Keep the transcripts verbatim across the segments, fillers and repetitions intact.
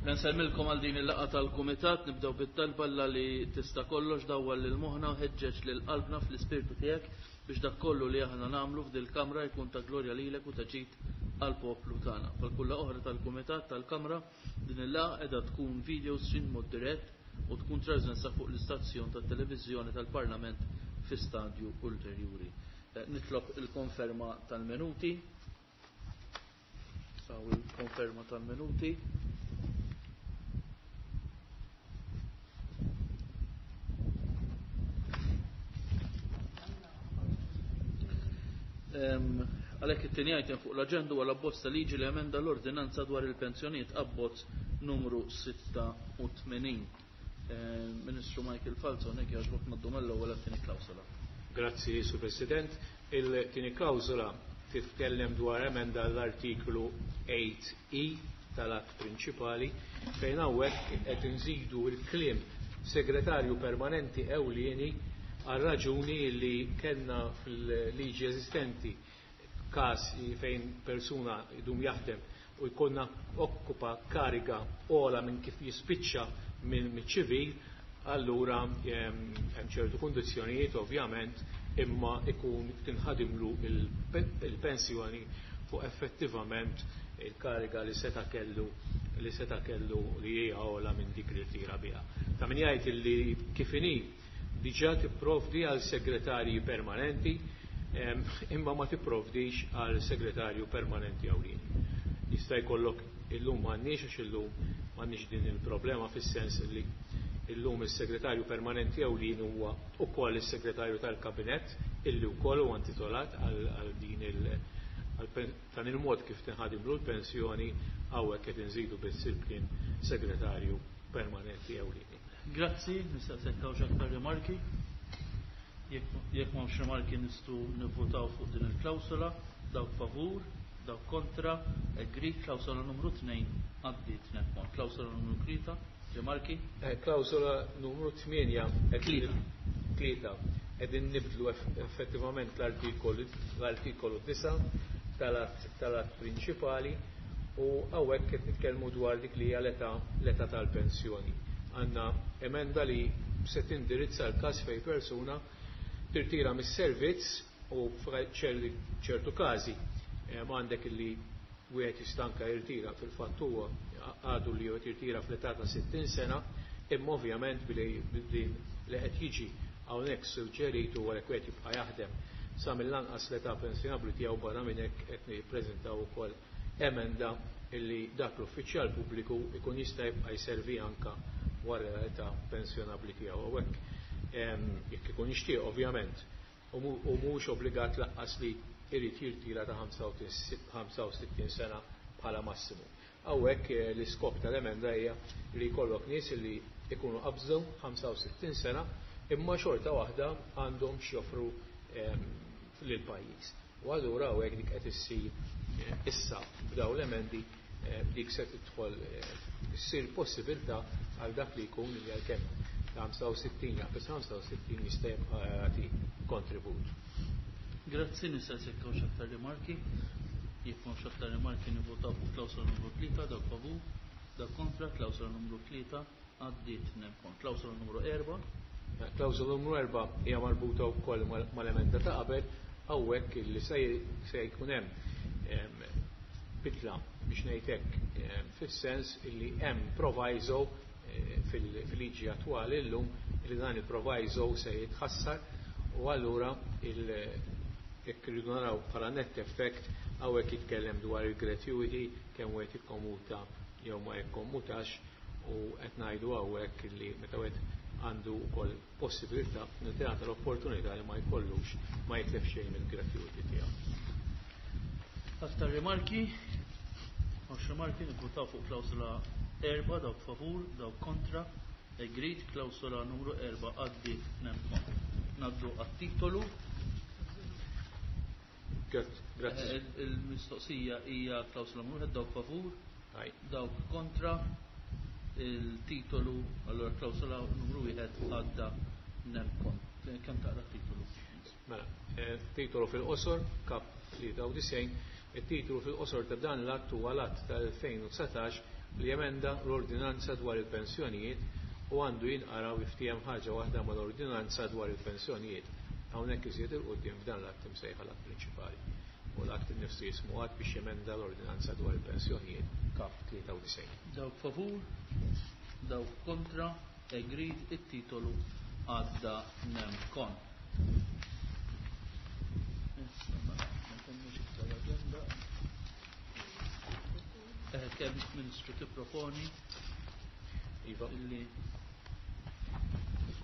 Nsellmilkom għal din il-laqgħa tal-Kumitat, nibdew bit-talba Alla li tista' kollox dawwal lil moħħna u ħeġġeġ lil qalbna fl-ispirtu tiegħek biex dak kollu li aħna nagħmlu f'dil-kamra jkun ta' glorja lilek u ta' ġid għall-poplu tagħna. Bħal kull laqgħa oħra tal-Kumitat tal-Kamra, din il-laqgħa qiegħda tkun video stream mod dirett u tkun trasmessa fuq l-istazzjon tat-televiżjoni tal-Parlament fi stadju ulterjuri. Nitlob il-konferma tal-minuti. Saw il-konferma tal-minuti. Għalhekk it-tieni item fuq l-aġenda huwa l-abbozz ta' liġi li emenda l-ordinanza dwar il-pensjonijiet abbozz numru sitta u tmenin. Ministru Michael Falzon, hekk jogħġbok ngħaddu mill-ewwel għat-tieni klawsola. Grazzi, Sur President. Il-tieni klawsola titkellem dwar emenda l-artiklu eight E tal-att prinċipali fejn hawnhekk qed inżidu l-kliem segretarju permanenti ewlieni għal raġuni li kellna fil-liġi eżistenti każ fejn persuna jdum jaħdem u jkollna okkupa kariga ola minn kif jispiċċa minn ċivil, allura hemm ċertu kundizzjonijiet ovvjament imma ikun tinħadimlu il-pensjoni fuq effettivament il-kariga li seta' kellu li seta' kellu li hija ola minn dik li tira biha. Ta' min jgħid li kif inhi diġà tipprovdi għal segretarji permanenti, em, imma ma tipprovdix għal segretarju permanenti ewlieni. Jista' jkollok illum m'għandniex għax illum m'għandniex din il-problema fis-sens li illum is-segretarju permanenti ewlieni huwa wkoll is-segretarju tal-kabinett illi wkoll huwa intitolat għal, għal din il, għal pen-, dan il-mod kif tinħadimlu l-pensjoni hawnhekk qed inżidu biss il-kliem segretarju permanenti ewlieni. Grazzi, nistaqsek hawn xi rimarki. Jekk, jekk m'hawnx rimarki nistgħu nivvutaw fuq din il-klawsola, dawk favur, dawk kontra, agreed, klawsola numru tnejn għaddiet nemkon. Klawsola numru tlieta, rimarki? Eh, klawsola numru tmienja, qed Tlieta. Tlieta. Qegħdin nibdlu eff-, effettivament l-artikolu, l-artikolu disa' tal-att, tal-att prinċipali u hawnhekk qed nitkellmu dwar dik li hija l-età, l-età tal-pensjoni. Għandna emenda li se tindirizza l-każ fejn persuna tirtira mis-servizz u f'ċerti, ċertu każi, eh, għandek li wieħed jista' anke jirtira fil-fatt huwa għadu li wieħed jirtira fl-età ta' sittin sena, imma ovvjament billi din li qed jiġi hawnhekk suġġeritu wara wieħed jibqa' jaħdem sa mill-anqas l-età pensjonabbli tiegħu barra minn hekk qed nippreżentaw ukoll emenda illi dak l-uffiċjal pubbliku ikun jista' jibqa' jservi anka wara l-età pensjonabbli tiegħu. Hawnhekk, ehm, jekk ikun jixtieq ovvjament u mu-, u mhux obbligat lanqas li jrid jirtira ta' ħamsa u sittin sena bħala massimu. Hawnhekk, eh, l-iskop tal-emenda hija li jkollok nies li jkunu qabżu ħamsa u sittin sena imma xorta waħda għandhom x'joffru, ehm, lill-pajjiż. U allura hawnhekk dik qed issir, eh, issa b'daw l-emendi, eh, dik se tidħol, eh, issir possibilità għal dak li jkun li għalkemm ta' ħamsa u sittin jaqbeż ħamsa u sittin jista' jibqa' jagħti kontribut. Grazzi, nistaqsik hawn xi aktar rimarki. Jekk m'hawnx aktar rimarki nivvotaw fuq klawsola numru tlieta, dawk favur, dawk kontra, klawsola numru tlieta għaddiet nemkon. Klawsola numru erba'. Klawsola numru erba' hija marbuta wkoll mal-, mal-emenda ta' qabel, hawnhekk li se j-, se jkun hemm, ehm, bidla biex ngħid hekk, ehm, fis-sens illi hemm proviso, eh, fil-, fil-liġi attwali llum li dan il-proviso se jitħassar u allura il-, jekk irridu naraw bħala net effect hawnhekk jitkellem dwar il-gratuity kemm wieħed jikkomuta jew ma jikkommutax u qed ngħidu hawnhekk li meta wieħed għandu wkoll possibilità li tingħata l-opportunità li ma jkollux ma jitlef xejn mill-gratuity tiegħu. Aktar rimarki? Mhux rimarki, nivvutaw fuq klawsola erba', dawk favur, dawk kontra, agreed, klawsola numru erba' għaddiet nemkon. Naddu għat-titolu. Grazzi. Eh, il-mistoqsija hija klawsola numru wieħed, dawk favur, Aj. dawk kontra, il-titolu, allora klawsola numru wieħed għadda nemkon. Kemm taqra t-titolu? Mela, eh, titolu fil-qosor, kap tlieta u disgħin, it-titolu fil-qosor ta' dan l-att huwa l-att tal-elfejn u dsatax li jemenda l-ordinanza dwar il-pensjonijiet u għandu jinqara u jiftiehem ħaġa waħda mal-ordinanza dwar il-pensjonijiet. Hawnhekk iżjed 'il quddiem f'dan l-att imsejħa l-att prinċipali. U l-att innifsu jismu att biex jemenda l-ordinanza dwar il-pensjonijiet kap tlieta u disgħin. Dawk favur, dawk kontra, agreed, it-titolu għadda nem kon. Issa mela, ma temmux iktar l-aġenda. Eh, kemm Ministru tipproponi Iva. illi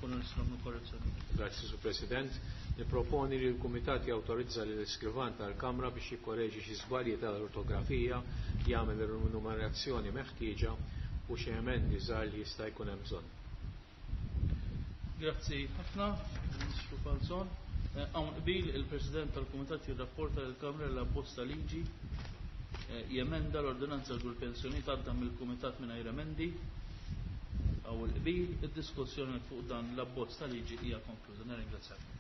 kunu nistgħu nagħmlu korrezzjoni. Grazzi, Sur President. Niproponi li l-Kumitat jawtorizza lil iskrivan tal-Kamra biex jikkoreġi xi żbalji tal-ortografija, jagħmel ir-numerazzjoni meħtieġa u xi emendi żgħar li jista' jkun hemm bżonn. Grazzi ħafna, Ministru Falzon. Eh, hawn qbil il-President tal-Kumitat jirrapporta lill-Kamra l abbozz ta' liġi, eh, jemenda l-ordinanza dwar il-pensjonijiet għadda mill-Kumitat mingħajr emendi. Hawn il-qbil, id-diskussjoni fuq dan l-abbozz ta' liġi hija konkluża. Nirringrazzjakom.